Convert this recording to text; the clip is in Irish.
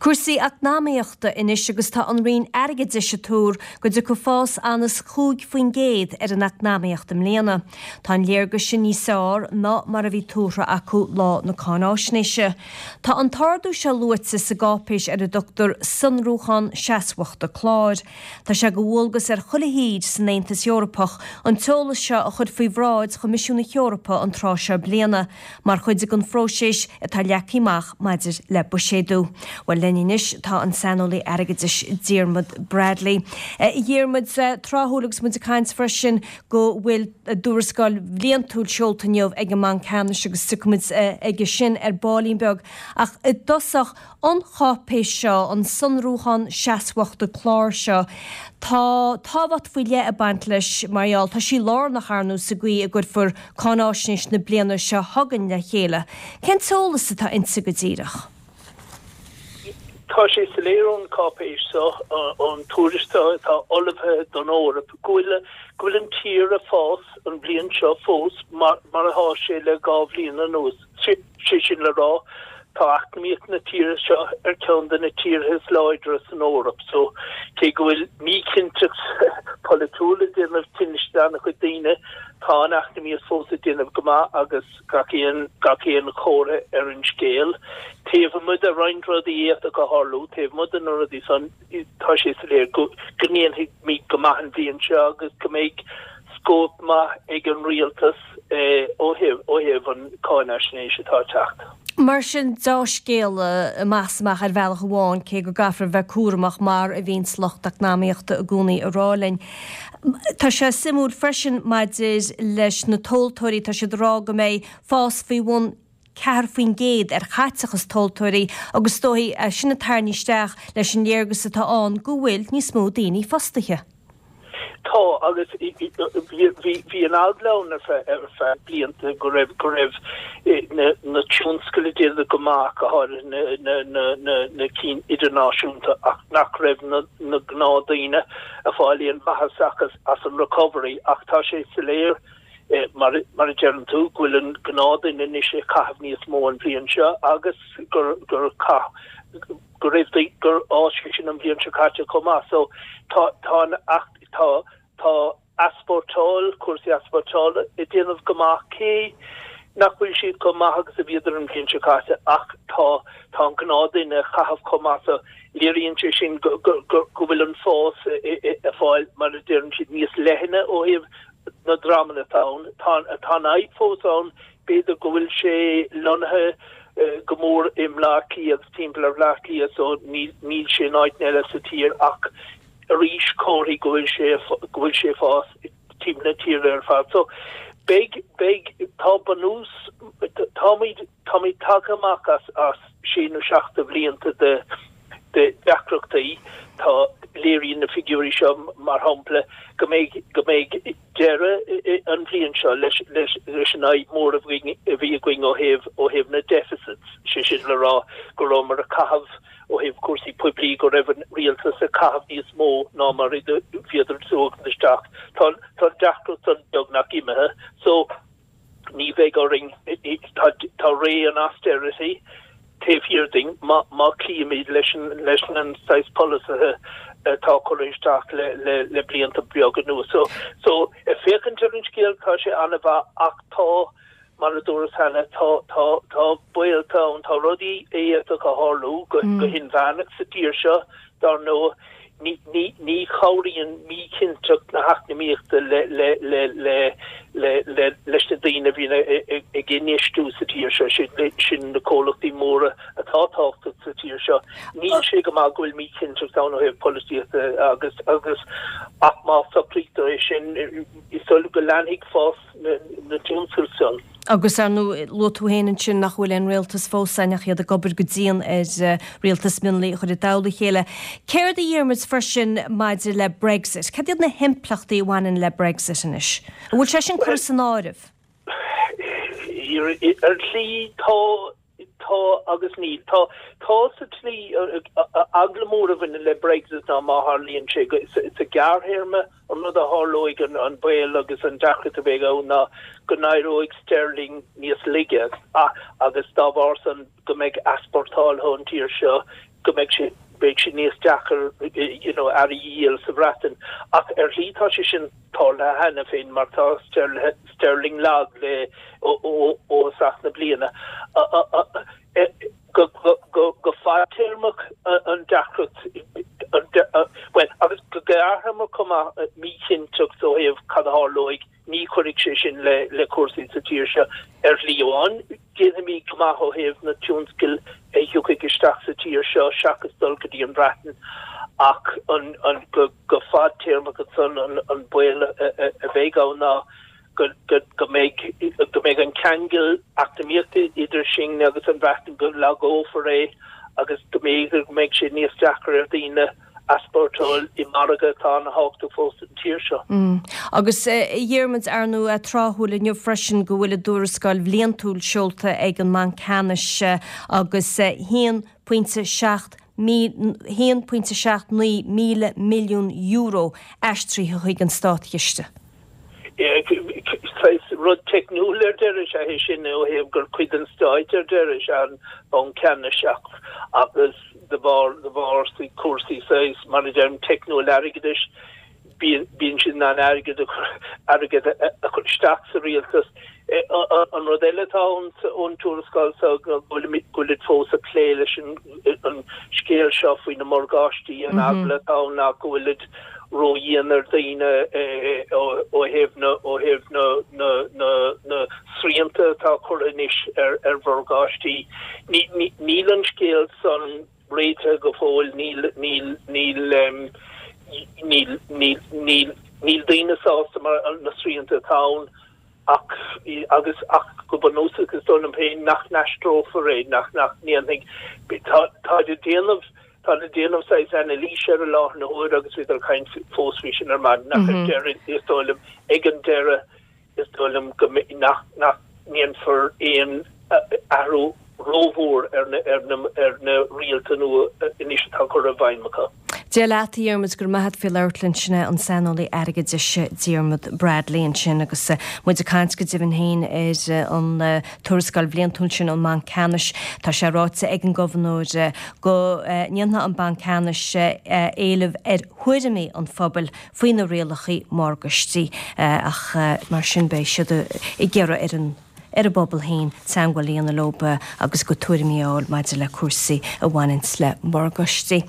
Cúrsaí eacnamaíochta anois agus tá an Roinn Airgeadais ag tuar go dtiocfaidh fás anuas 5% ar an eacnamaíocht i mbliana. Tá an léargas sin níos fearr ná mar a bhí tuartha acu lá na cáináisnéise. Tá an t-ardú seo luaite sa gcáipéis ar a dtugtar Sonrúchán Seasmhachta Cláir. Tá sé de dhualgas ar chuile thír san Aontas Eorpach an t-eolas seo a chur faoi bhráid Choimisiún na hEorpa an tráth seo bliana, mar chuid den phróiseas atá leagtha amach maidir le buiséadú. Bhuel, linn anois tá an saineolaí airgeadais Diarmuid Bradley. A Dhiarmuid, tráthúil agus muid ag caint freisin go bhfuil a dtuarascáil bhliantúil seolta inniu ag an mBanc Ceannais agus tiocfaimid aige sin ar baillín beag. Ach i dtosach, an cháipéis seo, an sonrúchán seasmhachta cláir seo, tá tábhacht faoi leith ag baint leis mar gheall, tá sí lárnach, ar ndóigh, sa gcaoi a gcuirfear cáináisnéis na bliana seo chugainn le chéile. Cén t-eolas atá inti go díreach? Tá sé soiléir ón cháipéis seo, ón tuairisc seo atá ullmhaithe don Eoraip, go bhfuil go bhfuil an tír ag fás an bhliain seo fós mar atá sé le 2 bhliain anuas. Sé sin le rá, tá eacnamaíocht na tíre seo ar ceann de na tíortha is láidre san Eoraip so cé go bhfuil míchinnteacht pholaitiúil ag déanamh tinnis d'an-chuid daoine, tá an eacnamaíocht fós ag déanamh go maith agus gach aon gach aon chomhartha ar an scéal, taobh amuigh de roinnt rudaí a d'fhéadfadh a tharlú, taobh amuigh de na rudaí san, tá sé soiléir go ndéanfaimid go maith an bhliain seo agus go mbeidh scóip maith ag an rialtas ó thaobh an cáinaisnéis atá ag teacht. Mar sin, deá-scéala amach is amach ar bhealach amháin, cé go gcaithfear a bheith cúramach mar a bhíonns lucht eacnamaíochta i gcónaí ag rá linn. Tá sé suimiúil freisin maidir leis na tomhaltóirí, tá siad ag rá go mbeidh fás faoi bhun 4% ar chaiteachas tomhaltóirí agus is dóigh é sin ag tarraingt isteach leis an léargas atá ann go bhfuil níos mó daoine fostaithe. Tá, agus bhí an eagla ann ar feadh blianta go raibh go raibh na tionscail ag déanamh go maith, go háirithe na cinn idirnáisiúnta, ach nach raibh na gnáthdhaoine ag fáil aon mhaitheas as an recovery. Ach tá sé soiléir Mar a deireann tú, go bhfuil an gnáthdhuine anois ag caitheamh níos mó an bhliain seo agus gur gur chaith go raibh gur fhás sé sin an bhliain seo caite chomh maith. So tá tá an tá tá easpórtáil, cúrsaí easpórtála ag déanamh go maith cé nach bhfuil siad chomh maith agus a bhíodar an bhliain seo caite ach tá tá an gnáthdhuine ag caitheamh chomh maith so léiríonn sé sin go go go bhfuil an fás ag fáil mar a deireann siad níos leithne ó thaobh na dreamanna atá ann. Tá an fhadhb fós ann, b'fhéidir go bhfuil sé lonnaithe go mór i mBleá Cliath agus timpeall ar Bhleá Cliath so níl sé in áiteanna eile sa tír ach arís comharthaí go bhfuil sé go bhfuil sé ag fás timpeall na tíre ar fad. So beidh beidh tá bunús táimid Táimid tagtha amach as as sé nó seacht de bhlianta de de deacrachtaí. Tá, léiríonn na figiúirí seo, mar shampla, go mbeidh go mbeidh deireadh an bhliain seo leis leis leis an fhadhb mhór a bhí a bhí againn ó thaobh ó thaobh na deficits, sé sin le rá go rabhamar ag caitheamh ó thaobh cúrsaí poiblí go raibh an rialtas ag caitheamh níos mó ná mar a bhíodar ag tabhairt isteach. Tá tá an deacracht san beagnach imithe. So. Ní bheidh orainn, tá ré an austerity taobh thiar dínn má chloímid leis an saghas polasaithe atá curtha isteach le blianta beaga anuas. So, ag féachaint ar an scéal, tá sé an-mhaith ach tá, mar a dúras cheana, tá, tá, tá baolta ann, tá rudaí a d'fhéadfadh a tharlú go hinmheánach sa tír seo, dar ndóigh. Ní chabhraíonn míchinnteacht na heacnamaíochta leis na daoine a bhíonn ag infheistiú sa tír seo, sin na comhlachtaí móra atá tábhachtach sa tír seo. Níl sé go maith go bhfuil míchinnteacht ann ó thaobh polaitíochta agus ach má socraítear é sin, is dóigh go leanfaidh fás na dtionscal san. Agus ar ndóigh, luaigh tú féin ansin nach bhfuil aon rialtas fós ann ach iad ag obair go dian ar rialtas mionlaigh a chur i dtoll a chéile. Céard a Dhiarmuid freisin maidir le Brexit? Cad iad na himpleachtaí a bhaineann le Brexit anois? An bhfuil sé sin curtha san áireamh? Ar shlí, tá. Tá agus níl. Tá. Tá sa tslí, eagla mór a bhaineann le Brexit ná má tharlaíonn sé go, sa ghearrthéarma, an rud a tharlóidh, an baol agus an deacracht a bheidh ann ná go n-éireoidh sterling níos laige agus dá bharr san go mbeidh easpórtáil ón tír seo. go mbeidh sé beidh sé níos deacair you know earraí a dhíol sa Bhreatain ach ar shlí tá sé sin tarlaithe cheana féin mar tá sterling lag le ó thosach na bliana. Go go fadtéarmach an deacracht bhuel agus go gearrthéarmach chomh maith míchinnteacht ó thaobh cad a tharlóidh Ní chuirfidh sé sin le cúrsaí sa tír seo ar shlí amháin. Déanfaimid go maith ó thaobh na tionscail a thiocfaidh isteach sa tír seo seachas dul go dtí an Bhreatain ach go fadtéarmach ansan an baol a bheidh ann ná go mbeidh go mbeidh an ceangal eacnamaíochta idir sinne agus an Bhreatain go lagófar é agus go mb'fhéidir go mbeidh sé níos deacra ar dhaoine easpórtáil i margadh atá ana-thábhachtach fós don tír seo. Agus a Dhiarmuid, ar ndóigh, tráthúil inniu freisin go bhfuil a dtuarascáil bhliantúil seolta ag an mBanc Ceannais agus 1.7 €1.79 míle milliún aistrithe chuig an státchiste. Saghas rud teicniúil ar deireadh is ea é sin ó thaobh gur cuid den stáit ar deireadh is ea an Banc Ceannais ach agus de bharr de bharr cúrsaí saghas mar a deirim teicniúil airgeadais bíonn bíonn siad in ann airgead a chur airgead a chur isteach sa rialtas. An rud eile atá ann ón tuarascáil seo go bhfuilimid go bhfuilid fós ag plé leis an an scéal seo faoi na morgáistí an eagla atá ann ná go bhfuilid ródhian ar dhaoine ó thaobh na ó thaobh na na na na srianta atá curtha anois ar ar mhorgáistí. Ní ní níl an scéal san réitithe go fóill, níl níl níl níl níl níl níl daoine sásta mar na srianta atá ann ach agus ach go bunúsach is dóigh liom féin nach n-aistreofar é, nach nach ndéanfaidh tá táid ag déanamh Táid ag déanamh saghas anailíse air i láthair na huaire agus bhíodar ag caint fós faoi sin ar maidin ach ar deireadh is dóigh liom ag an deireadh is dóigh liom go nach nach ndéanfar aon athrú rómhór ar na ar na ar na rialta nua anois atá curtha i bhfeidhm acu. Dia leat, a Dhiarmuid, go raibh maith a't faoi labhairt linn. Sin é an saineolaí airgeadais Diarmuid Bradley ansin agus muid ag caint go deimhin féin ar an tuarascáil bhliantúil sin ón mBanc Ceannais. Tá sé ráite ag an nGobharnóir go ndéanfaidh an Banc Ceannais éileamh ar thuairimí an phobail faoi na rialacha morgáistí ach mar sin beidh siad ag iarraidh ar an ar an bpobal féin teagmháil a dhéanamh leo agus a gcuid tuairimí a fháil maidir le cúrsaí a bhaineanns le morgáistí.